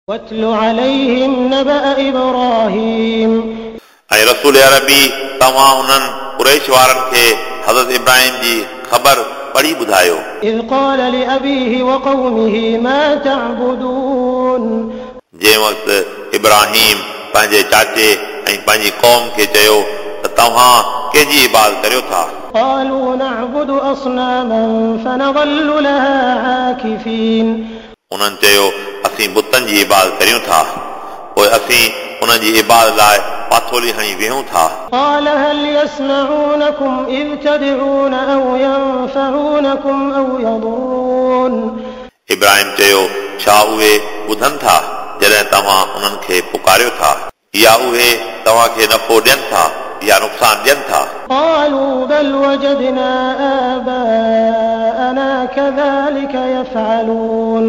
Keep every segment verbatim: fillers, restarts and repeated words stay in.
واتل عليهم نبأ إبراهيم. ऐं रसूल अरबी तव्हां उन्हनि कुरैश वारनि खे हज़रत इब्राहिम जी ख़बर पढ़ी ॿुधायो। إذ قال لأبيه وقومه ما تعبدون. जंहिं वक़्तु इब्राहिम पंहिंजे चाचे ऐं पंहिंजी क़ौम खे चयो त तव्हां कंहिंजी इबादत करियो था? قالوا نعبد أصناما فنظل لها عاكفين. उन्हनि चयो असीं बुतनि जी इबादत करियूं था, पोइ असीं उन्हनि जी इबादत लाइ पाथोली हणी वेहूं था। قال هل يسمعونكم إذ تدعون أو ينفعونكم أو يضرون. इब्राहिम चयो छा उहे ॿुधनि था जॾहिं तव्हां उन्हनि खे पुकारियो था, या उहे तव्हांखे नफ़ो ॾियनि था या नुक़सानु ॾियनि था? قالوا بل وجدنا آباءنا كذلك يفعلون.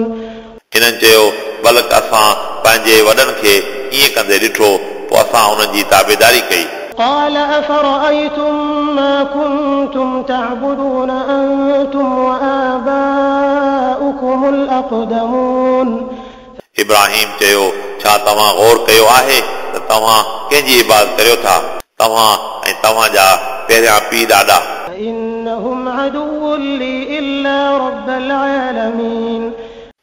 हिननि चयो बल्कि असां पंहिंजे वॾनि खे ईअं कंदे ॾिठो, पोइ असां उन्हनि जी ताबेदारी कई। قال أفرأيتم ما كنتم تعبدون أنتم وآباؤكم الأقدمون. इब्राहिम चयो छा तव्हां गौर कयो आहे त तव्हां कंहिंजी इबादत करियो था, तव्हां ऐं तव्हांजा पहिरियां पीउ ॾाॾा? فإنهم عدو لي إلا رب العالمين.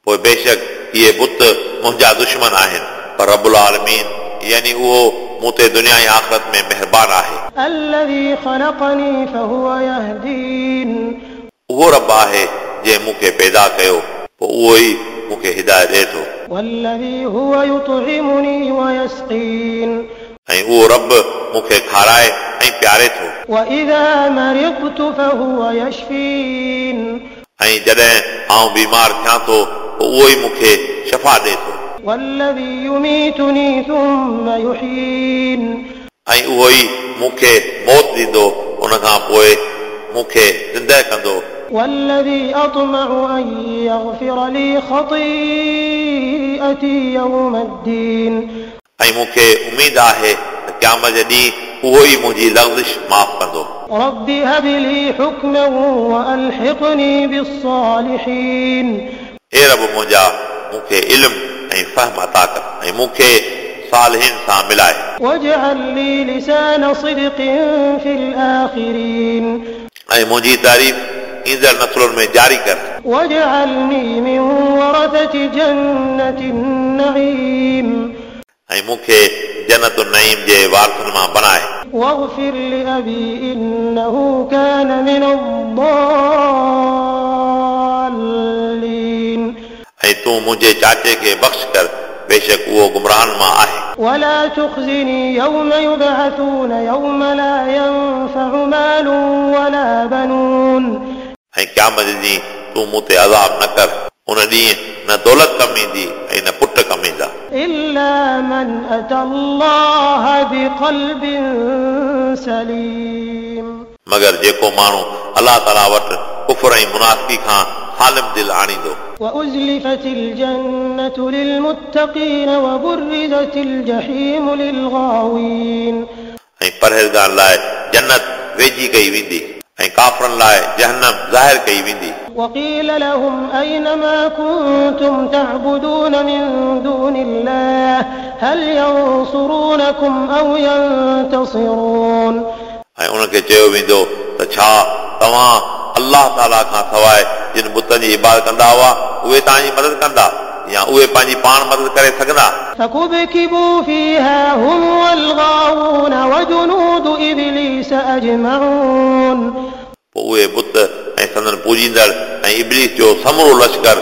पोइ बेशक इहे बुत मुंहिंजा दुश्मन आहिनि, पर रबुल आलमीन यानी उहो मूं ते दुनिया ऐं आख़िरत में महिरबान आहे। الذي خلقني فهو يهدين. उहो रब आहे जंहिं मूंखे पैदा कयो, पोइ उहो ई मूंखे हिदायत ॾिए थो। والذي هو يطعمني ويسقين. ऐं उहो रब मूंखे खाराए ऐं प्यारे थो। وإذا مرضت فهو يشفين. ऐं जॾहिं आउं बीमार थियां थो पोइ उहो ई मूंखे शफ़ा ॾिए थो। والذي يميتني ثم يحيين. ऐं उहो ई मूंखे मौत ॾींदो, उन खां पोइ मूंखे ज़िंदह कंदो। والذي أطمع أن يغفر لي خطيئتي يوم الدين. ऐं मूंखे उमेद आहे त क़यामत जे ॾींहुं उहो ई मुंहिंजी लग़ज़िश माफ़ कंदो। رب هب لي حكما وألحقني بالصالحين. हे रब मुंहिंजा, मूंखे इल्म ऐं फ़हम अता कर ऐं मूंखे सालहिन सां मिलाए। واجعل لي لسان صدق في الآخرين. ऐं मुंहिंजी तारीफ़ ईंदड़ नस्लुनि में जारी कर। واجعلني من ورثة جنة النعيم. ऐं मूंखे जन्नत नईम जे वारसनि मां बनाए। واغفر لأبي إنه كان من الضالين. ऐं तूं मुंहिंजे चाचे खे बख़्श कर, बेशक उहो गुमराहनि मां आहे। ولا تخزني يوم يبعثون يوم لا ينفع مال ولا بنون. ऐं क़यामत जे ॾींहुं तूं मूं ते अज़ाब न कर, उन ॾींहुं न दौलत कमु ईंदी ऐं न पुट कमु ईंदा। إلا من أتى الله بقلب سليم. मगर जेको माण्हू अलाह ताला वटि कुफर ऐं मुनाफ़िकी खां सालिम दिलि आणींदो। وأزلفت الجنة للمتقين وبرزت الجحيم للغاوين. ऐं परहेज़गार लाइ जन्नत वेझी कई वेंदी ऐं काफ़रनि लाइ जहन्नम ज़ाहिर कई वेंदी। وقيل لهم أين ما كنتم تعبدون من دون الله هل ينصرونكم أو ينتصرون. ऐं उन्हनि खे चयो वेंदो त छा तव्हां अलाह ताला खां सवाइ जिन बुतनि जी इबादत कंदा हुआ उहे तव्हांजी मदद कंदा या उहे पंहिंजी पाण मदद करे सघंदा? فكبكبوا فيها هم والغاوون وجنود إبليس أجمعون. पोइ उहे बुत ऐं संदन पूजींदड़ ऐं इब्लीस जो समूरो लश्कर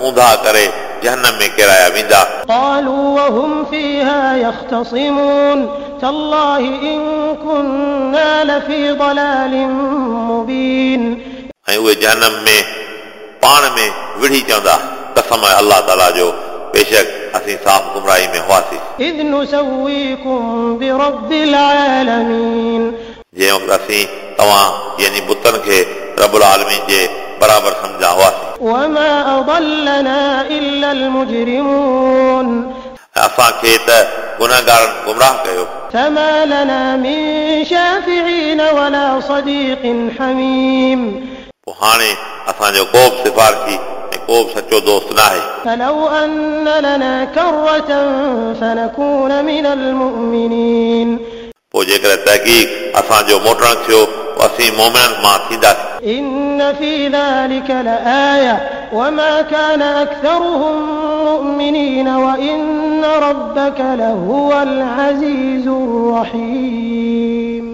ऊंधा करे जहन्नम में किराया वेंदा। قالوا وهم فيها يختصمون تالله إن كنا لفي ضلال مبين. ऐं उहे जहन्नम में पाण में विढ़ी चवंदा कसम आहे अलाह ताला जो, बेशक असीं साफ़ गुमराही में हुआसीं। إذ نسويكم برب العالمين. जंहिं वक़्तु असीं तव्हां यानी बुतनि खे रबुल आलमीन जे बराबरि सम्झा हुआसीं। وما أضلنا إلا المجرمون. असांखे त गुनहगारनि गुमराह कयो। فما لنا من شافعين ولا صديق حميم. पोइ हाणे असांजो को बि सिफारिशी ऐं को बि सचो दोस्त न आहे। فلو أن لنا كرة فنكون من المؤمنين. पोइ जेकॾहिं तहक़ीक़ असांजो मोटणु थियो असीं मोमिननि मां थींदासीं। إن في ذلك لآية وما كان أكثرهم مؤمنين وإن ربك لهو العزيز الرحيم.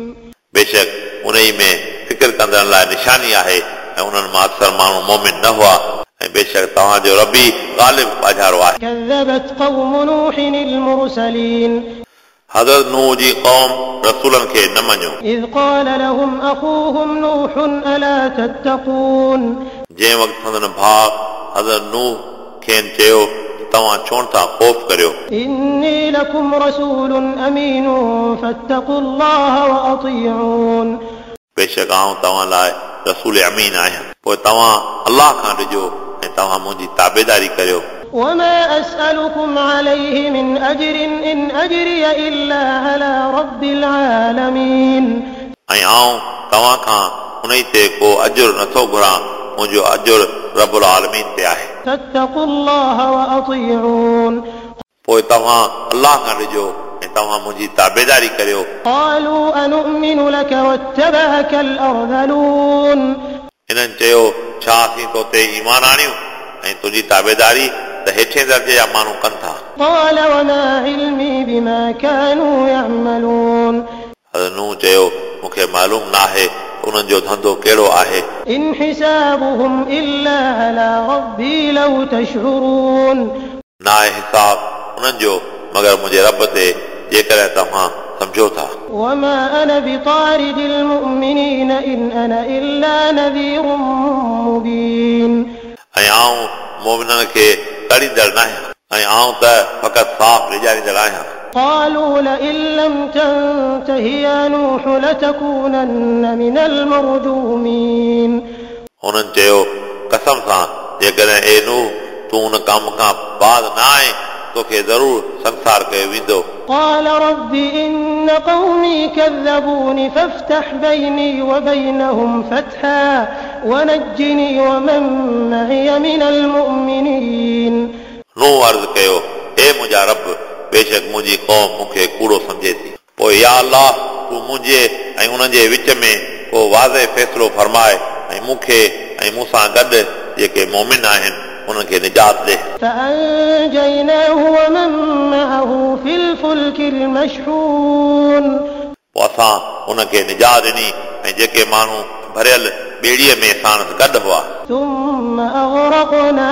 बेशक उन्ही में फ़िक्र कंदड़नि लाइ निशानी आहे ऐं उन्हनि मां अक्सर माण्हू मोमिन न हुआ ऐं बेशक तव्हांजो रबी ग़ालिब बाजारो आहे। كذبت قوم نوح المرسلين. हज़रत नूह जी क़ौम रसूलनि खे न मञियो। إذ قال لهم أخوهم نوح ألا تتقون. जंहिं वक़्तु संदन भाउ हज़रत नूह खेनि चयो तव्हां छो नथा ख़ौफ़ करियो। إني لكم رسول أمين فاتقوا الله وأطيعون. बेशक आउं तव्हां लाइ रसूल अमीन आहियां, पोइ तव्हां अल्लाह खां ॾिजो ऐं तव्हां मुंहिंजी ताबेदारी करियो। وما أسألكم عليه من أجر إن أجري إلا على رب العالمين. ऐं आउं तव्हां खां उन ते को अजुर नथो घुरां, मुंहिंजो अजुर रबुल आलमीन ते आहे। فاتقوا الله وأطيعون. पोइ तव्हां अल्लाह खां ॾिजो ऐं तव्हां मुंहिंजी ताबेदारी करियो। قالوا أنؤمن لك واتبعك الأرذلون. हिननि चयो छा असीं तो ते ईमान आणियूं ऐं तुंहिंजी ताबेदारी त हेठे दर्जे जा माण्हू कनि था। قال وما علمي بما كانوا يعملون. हज़रत नूह चयो मूंखे मालूम न आहे उन्हनि जो धंधो कहिड़ो आहे। إن حسابهم إلا على ربي لو تشعرون. न आहे हिसाब उन्हनि जो मगर मुंहिंजे रब ते, जेकॾहिं तव्हां सम्झो था। وما أنا بطارد المؤمنين إن أنا إلا نذير مبين. ऐं आउं मोमिननि खे तड़ींदड़ न आहियां, ऐं आउं त फ़क़ति साफ़ ॾिजारींदड़ आहियां। قالوا لئن لم تنته يا نوح لتكونن من المرجومين. हुननि चयो कसम सां जेकॾहिं ए नूह तूं उन कम खां बाद न आए तोखे ज़रूर संसार कयो वेंदो। قال رب إن قومي كذبون فافتح بيني وبينهم فتحا ونجني ومن معي من المؤمنين. नूह अर्ज़ कयो हे मुंहिंजा रब, बेशक मुंहिंजी क़ौम मूंखे कूड़ो सम्झे थी, पोइ या अल्लाह तूं मुंहिंजे ऐं उन्हनि जे विच में को वाज़े फ़ैसिलो फरमाए ऐं मूंखे ऐं मूंसां गॾु जेके मोमिन आहिनि उन्हनि खे निजात ॾे। فأنجيناه ومن معه في الفلك المشحون. पोइ असां उनखे निजात ॾिनी ऐं जेके माण्हू भरियल ॿेड़ीअ में साणसि गॾु हुआ। ثم أغرقنا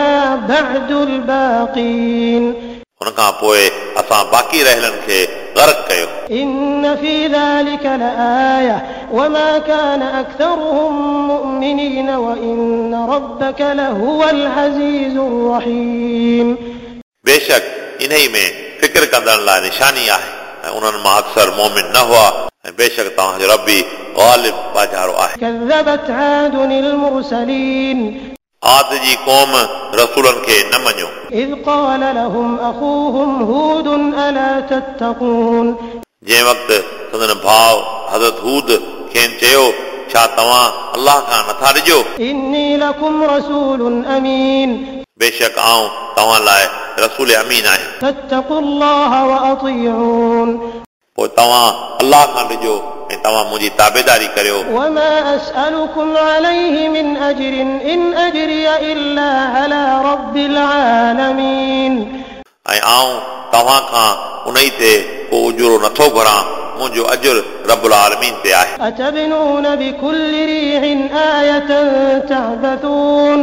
بعد الباقين. उन खां पोइ असां बाक़ी रहियलनि खे गर्क कयो। إن في ذلك لآية وما كان أكثرهم مؤمنين وإن ربك لهو العزيز الرحيم. बेशक इन्ही में फ़िक्र कंदड़नि लाइ निशानी आहे ऐं उन्हनि मां अक्सर मोमिन न हुआ ऐं बेशक तव्हांजो रबी ग़ालिब बाजारो आहे। كذبت عاد المرسلين. आद जी क़ौम रसूलनि खे न मञियो। إذ قال لهم أخوهم هود ألا تتقون. जंहिं वक़्तु संदन भाउ हज़रत हूद खेनि चयो छा तव्हां अल्लाह खां नथा ॾिजो? إني لكم رسول أمين. बेशक आउं तव्हां लाइ रसूल अमीन आहियां। فاتقوا الله وأطيعون. पोइ तव्हां अल्लाह खां ॾिजो ऐं तव्हां मुंहिंजी ताबेदारी करियो। وما أسألكم عليه من أجر إن أجري إلا على رب العالمين. ऐं आउं तव्हां खां उन ते को उजुरो नथो घुरां, मुंहिंजो अजुर रबुल आलमीन ते आहे। أتبنون بكل ريع آية تعبثون.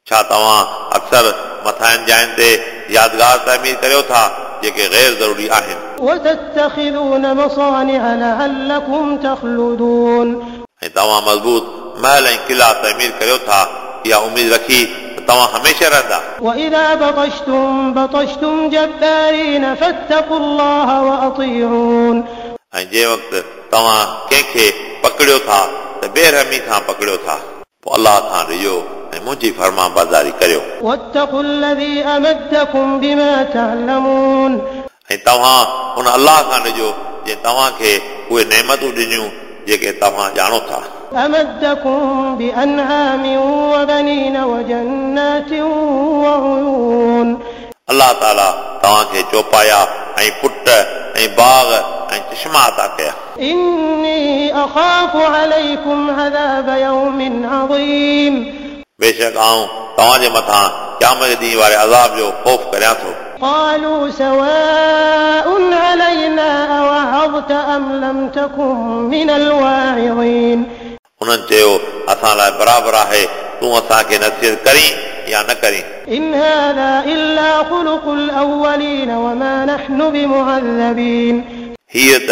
छा तव्हां अक्सर मथाइन जाइनि ते यादगार तइमीर करियो था जेके ग़ैर ज़रूरी आहिनि। وتتخذون مصانع لعلكم تخلدون. ऐं तव्हां मज़बूत महल ऐं किला तइमीर करियो था इहा उमेद रखी त तव्हां हमेशह रहंदा। وإذا بطشتم بطشتم جبارين فاتقوا الله وأطيعون. ऐं जंहिं वक़्तु तव्हां कंहिंखे पकड़ियो था त बेरहमी सां पकड़ियो था, पोइ अल्लाह खां ॾिजो ऐं मुंहिंजी फर्मा बरदारी करियो। واتقوا الذي أمدكم بما تعلمون. ऐं तव्हां उन अल्लाह खां ॾिजो जंहिं तव्हांखे उहे नेमतूं ॾिनियूं जेके तव्हां ॼाणो था। أمدكم بأنعام وبنين وجنات وعيون. अलाह ताला तव्हांखे चौपाया ऐं पुट ऐं बाग़ ऐं चश्मा अता कया। إني أخاف عليكم عذاب يوم عظيم. बेशक आऊं तव्हांजे मथां क़यामत जे ॾींहं वारे अज़ाब जो ख़ौफ़ करियां थो। قالوا سواء علينا أوعظت أم لم تكن من الواعظين. उन्हनि चयो असां लाइ बराबरि आहे तूं असांखे नसीहत करीं या न करीं। إن هذا إلا خلق الأولين وما نحن بمعذبين. हीअ त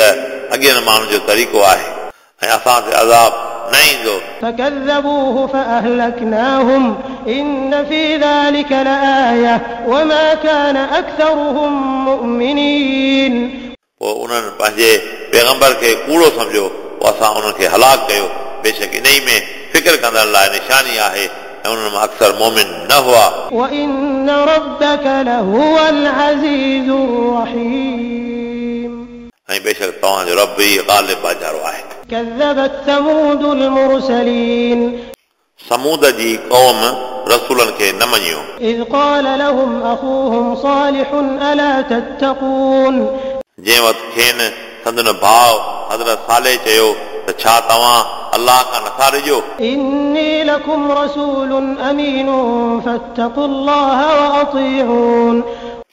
अॻियनि माण्हुनि जो तरीक़ो आहे ऐं असां ते अज़ाब न ईंदो। فكذبوه فأهلكناهم إن في ذلك لآية وما كان أكثرهم مؤمنين. पोइ उन्हनि पंहिंजे पैगंबर खे कूड़ो सम्झो, पोइ असां उन्हनि खे हलाक कयो। बेशक इन में फ़िक्र कंदड़ लाइ निशानी आहे ऐं उन्हनि मां अक्सर मोमिन न हुआ। وإن ربك لهو العزيز الرحيم. ऐं बेशक तव्हांजो रब ई ग़ालिब बाजारो आहे। كذبت ثمود المرسلين. समूद जी क़ौम रसूलनि खे न मञियो। إذ قال لهم أخوهم صالح ألا تتقون. जंहिं वक़्तु खेनि संदन भाउ हज़रत साले चयो त छा तव्हां अलाह खां नथा ॾिजो? إني لكم رسول أمين فاتقوا الله وأطيعون.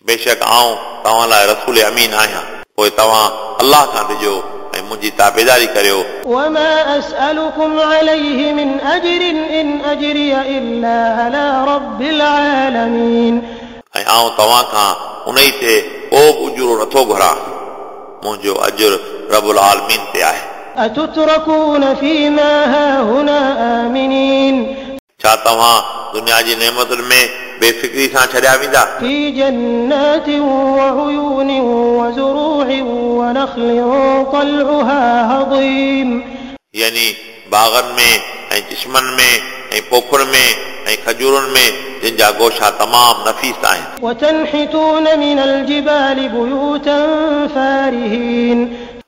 बेशक आऊं तव्हां लाइ रसूल अमीन आहियां, पोइ तव्हां अलाह खां ॾिजो ऐं मुंहिंजी ताबेदारी करियो। وما أسألكم عليه من أجر إن أجري إلا على رب العالمين. ऐं आऊं तव्हां खां उन ई ते को बि उजुरो नथो घुरां, मुंहिंजो अजुर रबुल आलमीन ते आहे। أتتركون فيما هاهنا آمنين. छा तव्हां दुनिया जी नेमतुनि में बेफ़िक्री सां छॾिया वेंदा? في جنات وعيون وزروع ونخل طلعها هضيم. यानी बाग़नि में ऐं चश्मनि में ऐं पोखुनि में ऐं खजूरुनि में जिन जा गोशा तमामु नफ़ीस आहिनि। وتنحتون من الجبال بيوتا فارهين.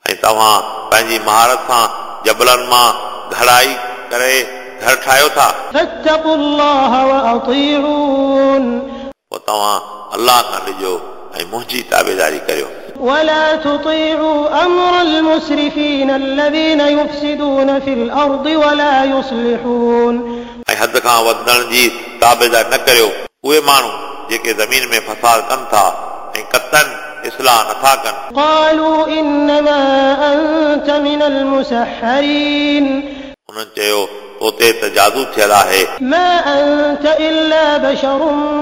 ऐं तव्हां पंहिंजी महारत सां जबलनि मां घड़ाई करे घर ठाहियो था। فاتقوا الله وأطيعون. पोइ तव्हां अलाह खां ॾिजो ऐं मुंहिंजी ताबेदारी करियो। ولا تطيعوا أمر المسرفين الذين يفسدون في الأرض ولا يصلحون. ऐं हद खां वधण जी ताबेदारी न करियो उहे माण्हू जेके ज़मीन में फसाद कनि था ऐं कतन इस्लाह नथा कनि। قالوا إنما أنت من المسحرين. उन्हनि चयो तो ते त जादू थियल आहे। ما أنت إلا بشر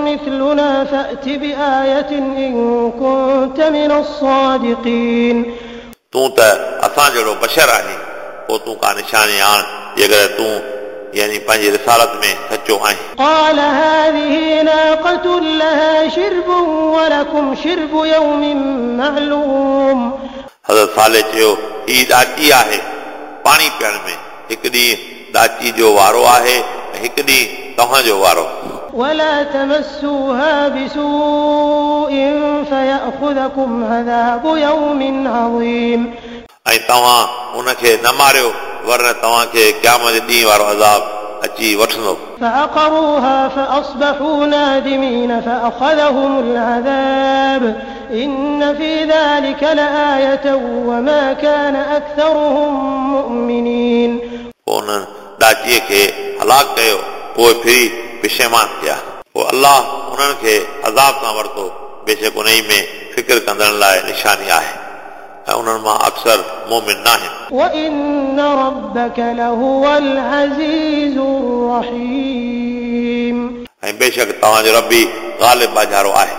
مثلنا فأت بآية إن كنت من الصادقين. तूं त असां जहिड़ो बशर आहीं, पोइ तूं का निशानी आण जेकॾहिं तूं यानी पंहिंजी रिसालत में सचो आहीं। قال هذه ناقة لها شرب ولكم شرب يوم معلوم. हज़रत साले चयो हीअ ॾाची आहे पाणी पीअण में, हिकु ॾींहुं ॾाची जो वारो आहे ऐं हिकु ॾींहुं तव्हांजो वारो। ولا تمسوها بسوء فيأخذكم عذاب يوم عظيم. ऐं तव्हां उनखे न मारियो वरन तव्हांखे क़यामत जे ॾींहुं वारो अज़ाब अची वठंदो। فعقروها فأصبحوا نادمين فأخذهم العذاب إن في ذلك لآية وما كان أكثرهم مؤمنين. पोइ उन्हनि ॾाचीअ खे हलाक कयो, पोइ फिरी पिशेमान थिया। पोइ अलाह उन्हनि खे अज़ाब सां वरितो, बेशक उन में फ़िक्र कंदड़ लाइ निशानी आहे ऐं उन्हनि मां अक्सर मोमिन न आहिनि। وإن ربك لهو العزيز الرحيم. ऐं बेशक तव्हांजो रबी ग़ालिब बाजारो आहे।